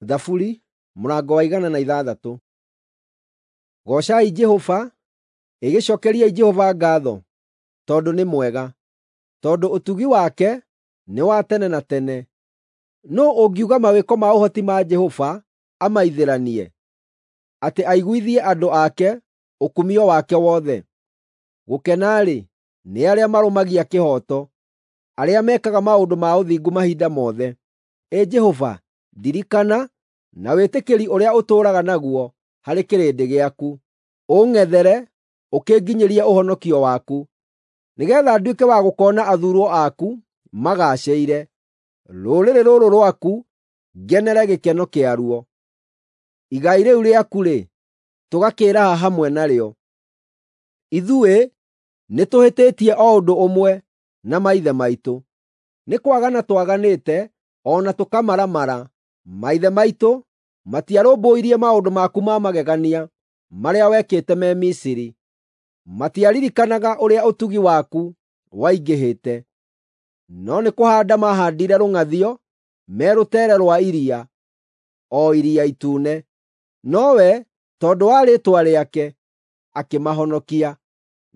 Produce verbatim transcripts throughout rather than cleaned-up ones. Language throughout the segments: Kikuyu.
Thaburi mũrango wa igana na ithathatũ. Goocai Jehova, ĩgĩcookeriai Jehova ngaatho, tondũ nĩ mwega, tondũ ũtugi wake nĩ wa tene na tene. Nũũ ũngiuga mawĩko ma ũhoti ma Jehova amaithĩranie, atĩ aiguithie andũ ake ũkumio wake wothe? Gũkena-rĩ, nĩ arĩa marũmagia kĩhooto, arĩa mekaga maũndũ ma ũthingu mahinda mothe. Ĩ Jehova, ndirikana na wĩtĩkĩri ũrĩa ũtũũraga naguo harĩ kĩrĩndĩ gĩaku, ũng'ethere ũkĩnginyĩrie ũhonokio waku, nĩgeetha nduĩke wa gũkoona athuurwo aku magaacĩire, rũrĩrĩ rũrũ rwaku ngenere gĩkeno kĩaruo. Igai rĩu rĩaku-rĩ, tũgakĩĩraha hamwe narĩo. Ithuĩ nĩtũhĩtĩtie o ũndũ ũmwe na maithe maitũ, nĩ kwagana twaganĩte o na tũkamaramara. Maithe maitũ matiarũmbũirie maũndũ maku ma magegania marĩa wekĩte me Misiri, matiaririkanaga ũrĩa ũtugi waku waingĩhĩte, no nĩ kũhaanda maahaandire rũng'athio me rũteere rwa iria, o Iria Itune. Nowe, tondũ wa rĩĩtwa rĩake, akĩmahonokia,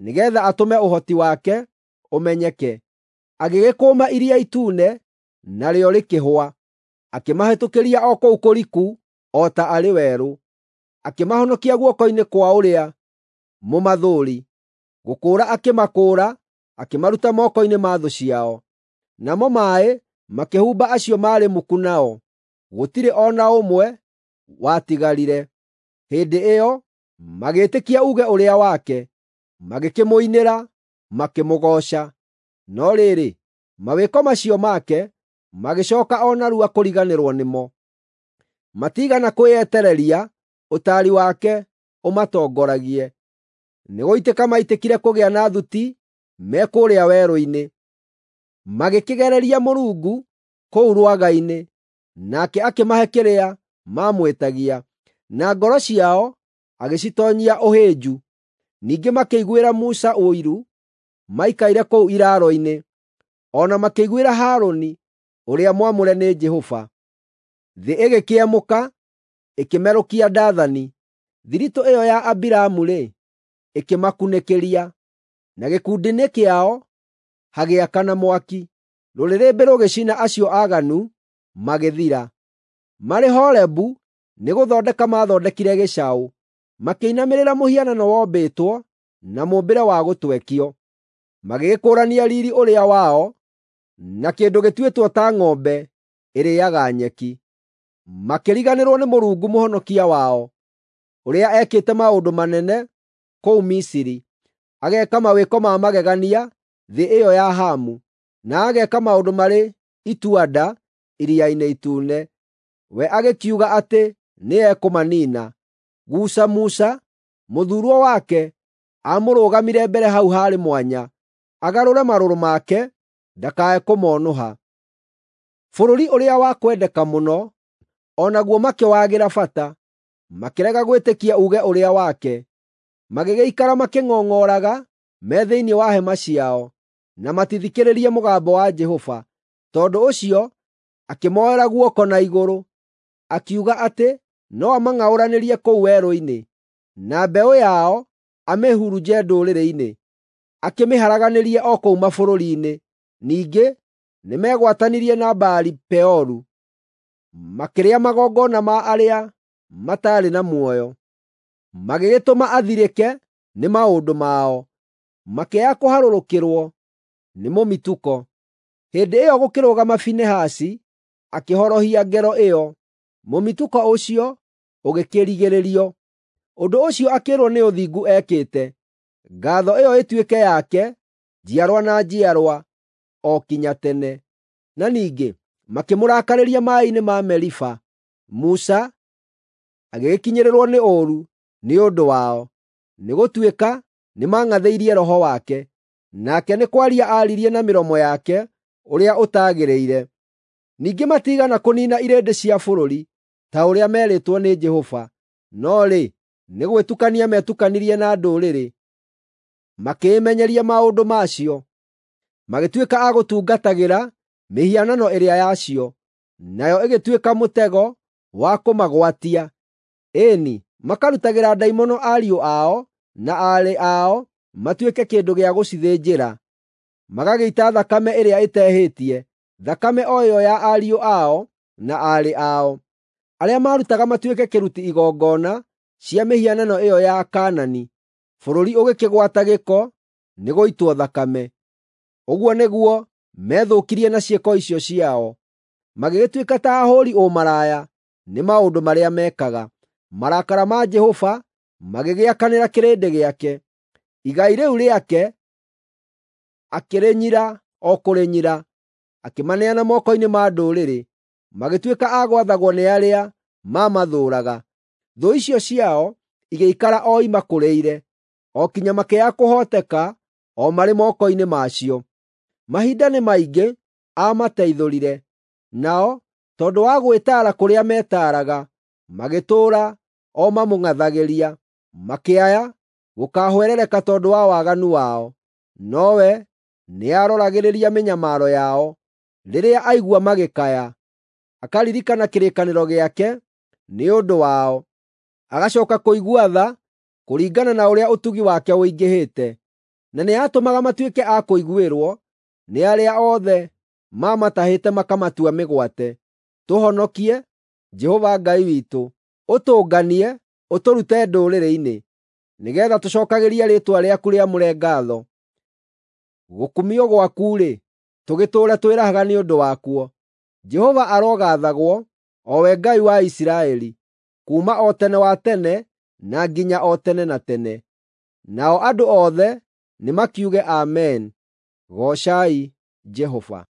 nĩgeetha atũme ũhoti wake ũmenyeke. Agĩgĩkũma Iria Itune, narĩo rĩkĩhũa, akĩmahĩtũkĩria o kũu kũriku o ta arĩ werũ. Akĩmahonokia guoko-inĩ kwa ũrĩa mũmathũũri, gũkũũra akĩmakũũra, akĩmaruta moko-inĩ ma thũ ciao. Namo maaĩ makĩhumba acio maarĩ muku nao, gũtirĩ o na ũmwe watigarire. Hĩndĩ ĩyo magĩĩtĩkia uuge ũrĩa wake, magĩkĩmũinĩra, makĩmũgooca. No rĩrĩ, mawĩko macio make magĩcooka o narua kũriganĩrwo nĩmo. Matiigana kwĩyetereria ũtaari wake ũmatongoragie. Nĩgũitĩka maitĩkire kũgĩa na thuti me kũrĩa werũ-inĩ. Magĩkĩgereria Mũrungu kũu rwagainĩ, nake akĩmahe kĩrĩa maamwĩtagia, na ngoro ciao agĩcitoonyia ũhĩnju. Ningĩ makĩiguĩra Musa ũiru maikaire kũu iraaro-inĩ, o na makĩiguĩra Harũni ũrĩa mwamũre nĩ Jehova. Thĩ ĩgĩkĩemũka, ĩkĩmerũkia Dathani; thiritũ ĩyo ya Abiramu-rĩ, ĩkĩmakunĩkĩria, na gĩkundi-inĩ kĩao hagĩakana mwaki. Rũrĩrĩmbĩ rũgĩcina acio aaganu magĩthira. Marĩ Horebu nĩgũthondeka maathondekire gĩcaũ, makĩinamĩrĩra mũhianano wombĩtwo na mũũmbĩre wa gũtwekio. Magĩgĩkũũrania riiri ũrĩa wao na kĩndũ gĩtuĩtwo ta ng'ombe ĩrĩĩaga nyeki. Makĩriganĩrwo nĩ Mũrungu Mũhonokia wao, ũrĩa ekĩte maũndũ manene kũu Misiri, ageeka mawĩko ma magegania thĩ ĩyo ya Hamu, na ageeka maũndũ marĩ itua-nda Iria-inĩ Itune. We agĩkiuga atĩ nĩekũmaniina. Guca Musa, mũthuurwo wake, amũrũgamire mbere hau haarĩ mwanya, agarũre marũrũ make ndakae kũmonũha. Bũrũri ũrĩa wa kwendeka mũno o naguo makĩwagĩra bata, makĩrega gwĩtĩkia uuge ũrĩa wake. Magĩgĩikara makĩng'ong'oraga me thĩinĩ wa hema ciao, na matithikĩrĩrie mũgambo wa Jehova. Tondũ ũcio akĩmoera guoko na igũrũ, akiuga atĩ no amang'aũranĩrie kũu werũ-inĩ, na mbeũ yao amĩhurunje ndũrĩrĩ-inĩ, akĩmĩharaganĩrie o kũu mabũrũri-inĩ. Ningĩ nĩmegwatanirie na Baali-Peoru, makĩrĩa magongona ma arĩa mataarĩ na muoyo. Magĩgĩtũma athirĩke nĩ maũndũ mao, makĩaga kũharũrũkĩrwo nĩ mũmitũko. Hĩndĩ ĩyo gũkĩrũgama Finehasi akĩhorohia ngero ĩyo, mũmitũko ũcio ũgĩkĩrigĩrĩrio. Ũndũ ũcio akĩĩrwo nĩ ũthingu ekĩte. Ngaatho ĩyo ĩtuĩke yake njiarwa na njiarwa o kinya tene. Na ningĩ makĩmũrakarĩria maaĩ-inĩ ma Meriba. Musa agĩgĩkinyĩrĩrwo nĩ ũũru nĩ ũndũ wao, nĩgũtuĩka nĩmang'athĩirie Roho wake, nake nĩ kwaria aaririe na mĩromo yake ũrĩa ũtagĩrĩire. Ningĩ matiigana kũniina irĩndĩ cia bũrũri ta ũrĩa meerĩtwo nĩ Jehova, no rĩ, nĩ gwĩtukania meetukanirie na ndũrĩrĩ, makĩĩmenyeria maũndũ macio, magĩtuĩka a gũtungatagĩra mĩhianano ĩrĩa yacio, nayo ĩgĩtuĩka mũtego wa kũmagwatia. Ĩni, makarutagĩra ndaimono ariũ ao na aarĩ ao matuĩke kĩndũ gĩa gũcithĩnjĩra, magagĩita thakame ĩrĩa ĩtehĩtie, thakame o ĩyo ya ariũ ao na aarĩ ao, arĩa maarutaga matuĩke kĩruti igongona cia mĩhianano ĩyo ya Kaanani. Bũrũri ũgĩkĩgwata gĩko nĩ gũitwo thakame. Ũguo nĩguo methũkirie na ciĩko icio ciao, magĩgĩtuĩka ta ahũũri ũmaraya nĩ maũndũ marĩa meekaga. Marakara ma Jehova magĩgĩakanĩra kĩrĩndĩ gĩake, igai rĩu rĩake akĩrĩnyira o kũrĩnyira, akĩmaneana moko-inĩ ma ndũrĩrĩ, magĩtuĩka a gwathagwo nĩ arĩa maamathũũraga. Thũ icio ciao igĩikara o imakũrĩire, o kinya makĩaga kũhooteka o marĩ moko-inĩ macio. Mahinda nĩ maingĩ aamateithũrire, nao tondũ wa gwĩtaara kũrĩa metaaraga, magĩtũũra o mamũng'athagĩria, makĩaya gũkaahwerereka tondũ wa waganu wao. Nowe nĩaroragĩrĩria mĩnyamaro yao rĩrĩa aigua magĩkaya, akaririkana kĩrĩkanĩro gĩake nĩ ũndũ wao, agacooka kũigua tha kũringana na ũrĩa ũtugi wake ũingĩhĩte, na nĩatũmaga matuĩke a kũiguĩrwo nĩ arĩa othe mamatahĩte makamatua mĩgwate. Tũhonokie, Jehova Ngai witũ, ũtũnganie, ũtũrute ndũrĩrĩ-inĩ, nĩgeetha tũcookagĩrie rĩĩtwa rĩaku rĩamũre ngaatho. Gũkumio gwaku-rĩ, tũgĩtũũre twĩrahaga nĩ ũndũ wakuo. Jehova arogaathagwo, o we Ngai wa Isiraeli, kuuma o tene wa tene na nginya o tene na tene. Nao andũ othe nĩmakiuge Amen. Goocai Jehova.